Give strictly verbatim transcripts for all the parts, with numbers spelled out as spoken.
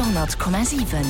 Radio hundert Komma siwen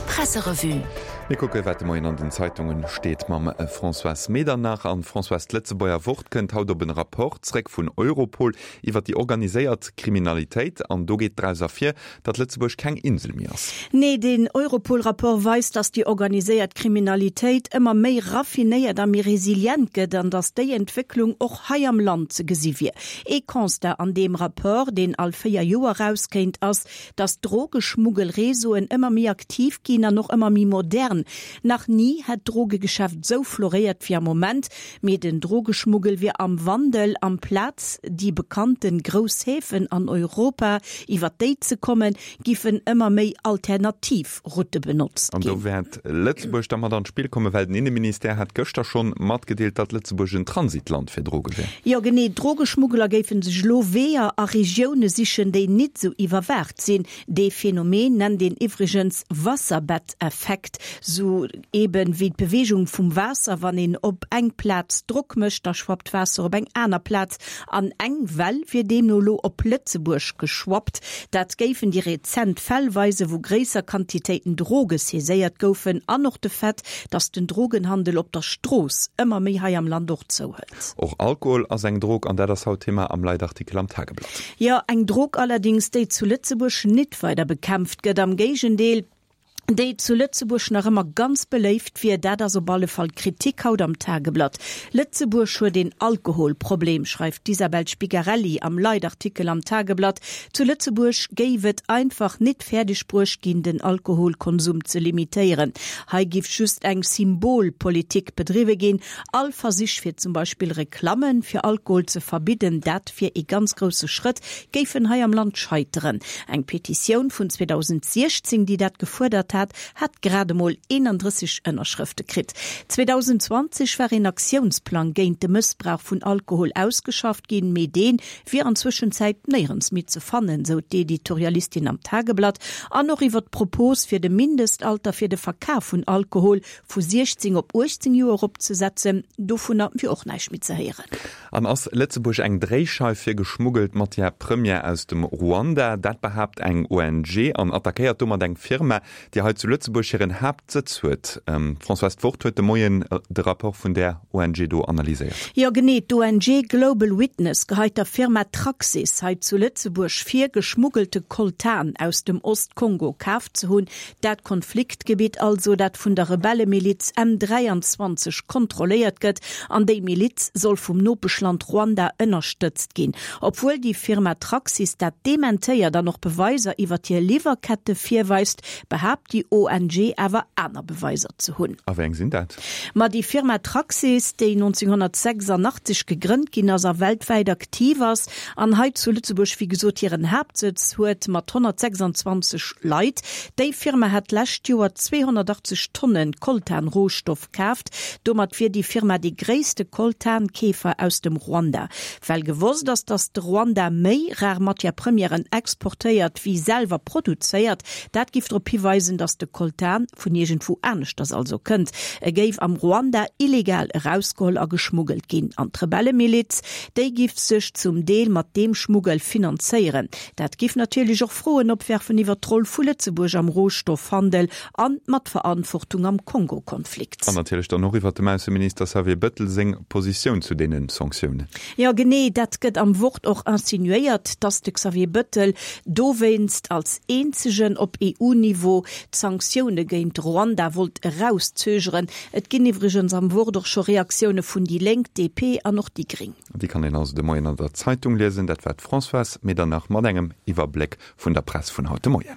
Presserevue. Mir kucke wat de Moien an den Zeitungen steet mam Françoise Medernach. An Françoise, d'Lëtzebuerger Wort kënnt haut op en Rapport zréck vun Europol iwwer déi organiséiert Kriminalitéit an do geet draus ervir, datt Lëtzebuerg keng Insel méi ass. Nee, den Europol-Rapport weist, datt déi organiséiert Kriminalitéit ëmmer méi raffinéiert a méi resilient gëtt an datt déi Entwécklung och hei am Land ze gesi wier. Ee Constat an deem Rapport, deen all véier Joer erauskéint, ass, datt d'Drogeschmuggelreseauen ëmmer méi aktiv ginn an och ëmmer méi modern. Nach ni hätt d'Drogegeschäft sou floréiert wéi am Moment, mee den Drogeschmuggel wier am Wandel. Amplaz déi bekannte grouss Häfen an Europa, iwwer déi ze kommen, giffen ëmmer méi alternativ Route benotzt An do ginn. wäert Lëtzebuerg da mat an d'Spill kommen, well den Inneministère hat gëschter schonn matgedeelt, datt Lëtzebuerg en Transitland fir Droge wär. Jo genee, Drogeschmuggler géife sech elo Weeër a Regioune sichen, déi nit sou iwwerwaacht sinn. Dee Phänomen nennt een iwwregens Wasserbett-Effekt, sou eben wéi d'Beweegung vum Waasser, wann een op eng Plaz Drock mécht, da schwappt d'Waasser op eng aner Plaz. An eng Well wier deemno elo op Lëtzebuerg geschwappt. Dat géifen déi rezent Fäll weisen, wou gréisser Quantitéiten Droge saiséiert goufen, an och de Fait, datt den Drogenhandel op der Strooss ëmmer méi hei am Land och zouhëlt. Och Alkohol ass eng Drog an dat ass haut Thema am Leitartikel am Tageblatt. Jo, eng Drog allerdéngs, déi zu Lëtzebuerg nit weider bekämpft gëtt, am Géigendeel, déi zu Lëtzebuerg nach ëmmer ganz beléift wier, dat ass op alle Fall d'Kritik haut am Tageblatt. Lëtzebuerg huet een Alkoholproblem, schreift d'Isabel Spigarelli am Leitartikel am Tageblatt. Zu Lëtzebuerg géif et einfach nit fäerdeg bruecht ginn, den Alkoholkonsum ze limitéieren. Hei giff just eng Symbolpolitik bedriwwe ginn. All Versich fir zum Beispill Reklamme fir Alkohol ze verbidden, dat wier ee ganz grousse Schrëtt, géifen hei am Land scheiteren. Eng Petitioun vun zweedausentsiechzéng, déi dat gefuerdert hat, hat grad emol eenandrësseg Ënnerschrëfte kritt. zweedausendzwanzeg war een Aktiounsplang géint de Mëssbrauch vun Alkohol ausgeschafft ginn, mee dee wier an Zwëschenzäit néierens méi ze fannen, sou d'Editorialistin am Tageblatt. An och iwwer d'Propos fir de Mindestalter fir de Verkaf vun Alkohol vu siechzéng op uechtzéng Joer eropzesetzen, dovunner wier och näischt méi ze héieren. An ass Lëtzebuerg eng Dréischeif fir geschmuggelt Matière première aus dem Ruanda? Dat behaapt eng O N G an attackéiert domat eng Firma, déi hei zu Lëtzebuerg hiren Haaptsëtz huet. Françoise, d'Wort huet de Moien de Rapport vun där O N G do analyséiert. Jo genee, d'O N G Global Witness geheit der Firma Traxys hei zu Lëtzebuerg vir, geschmuggelte Coltan aus dem Ostkongo kaf ze hunn, dat Konfliktgebitt also, dat vun der Rebellemiliz M dräianzwanzeg kontrolléiert gëtt, an déi Miliz soll vum Nopeschland Ruanda ënnerstëtzt ginn. Obwuel déi Firma Traxys dat dementéiert an och Beweiser iwwer hir Liwwerkette virweist, behaapt déi O N G awer aner Beweiser ze hunn. A wéi eng sinn dat? Ma déi Firma Traxys, déi nonzénghonnertsechsandachtzeg gegrënnt ginn ass a weltwäit aktiv ass an hei zu Lëtzebuerg wéi gesot hiren Haaptsëtz huet mat honnertsechsandzwanzeg Leit, déi Firma hat d'lescht Joer zweehonnertachtzeg Tonnen Coltan-Rohstoff kaaft. Domat wier déi Firma dee gréisste Coltan-Keefer aus dem Ruanda. Well gewosst ass, datt de Ruanda méi rar Matière-premièren exportéiert wéi selwer produzéiert, dat giff drop hiweisen, datt de Coltan vun iergendwou aneschters also kënnt. E géif am Ruanda illegal erausgeholl a geschmuggelt ginn. An d'Rebellemiliz, déi giff sech zum Deel mat deem Schmuggel finanzéieren. Dat giff natierlech och Froen opwerfen iwwer d'Roll vu Lëtzebuerg am Rohstoffhandel an d'Matverantwortung am Kongo-Konflikt. An natierlech dann och iwwer dem Ausseminister Xavier Bettel seng Positioun zu deenen Sanktiounen. Jo genee, dat gëtt am Wort och insinuéiert, datt de Xavier Bettel dowéinst als eenzegen op E U-Niveau d'Sanktioune géint Ruanda wollt erauszögeren. Et ginn iwwregens am Wort och scho Reaktioune vun déi Lénk, D P an och déi Gréng. Déi kann een also de Moien an der Zeitung liesen. Dat war d'Françoise Medernach mat engem Iwwerbléck vun der Press vun haut de Moien.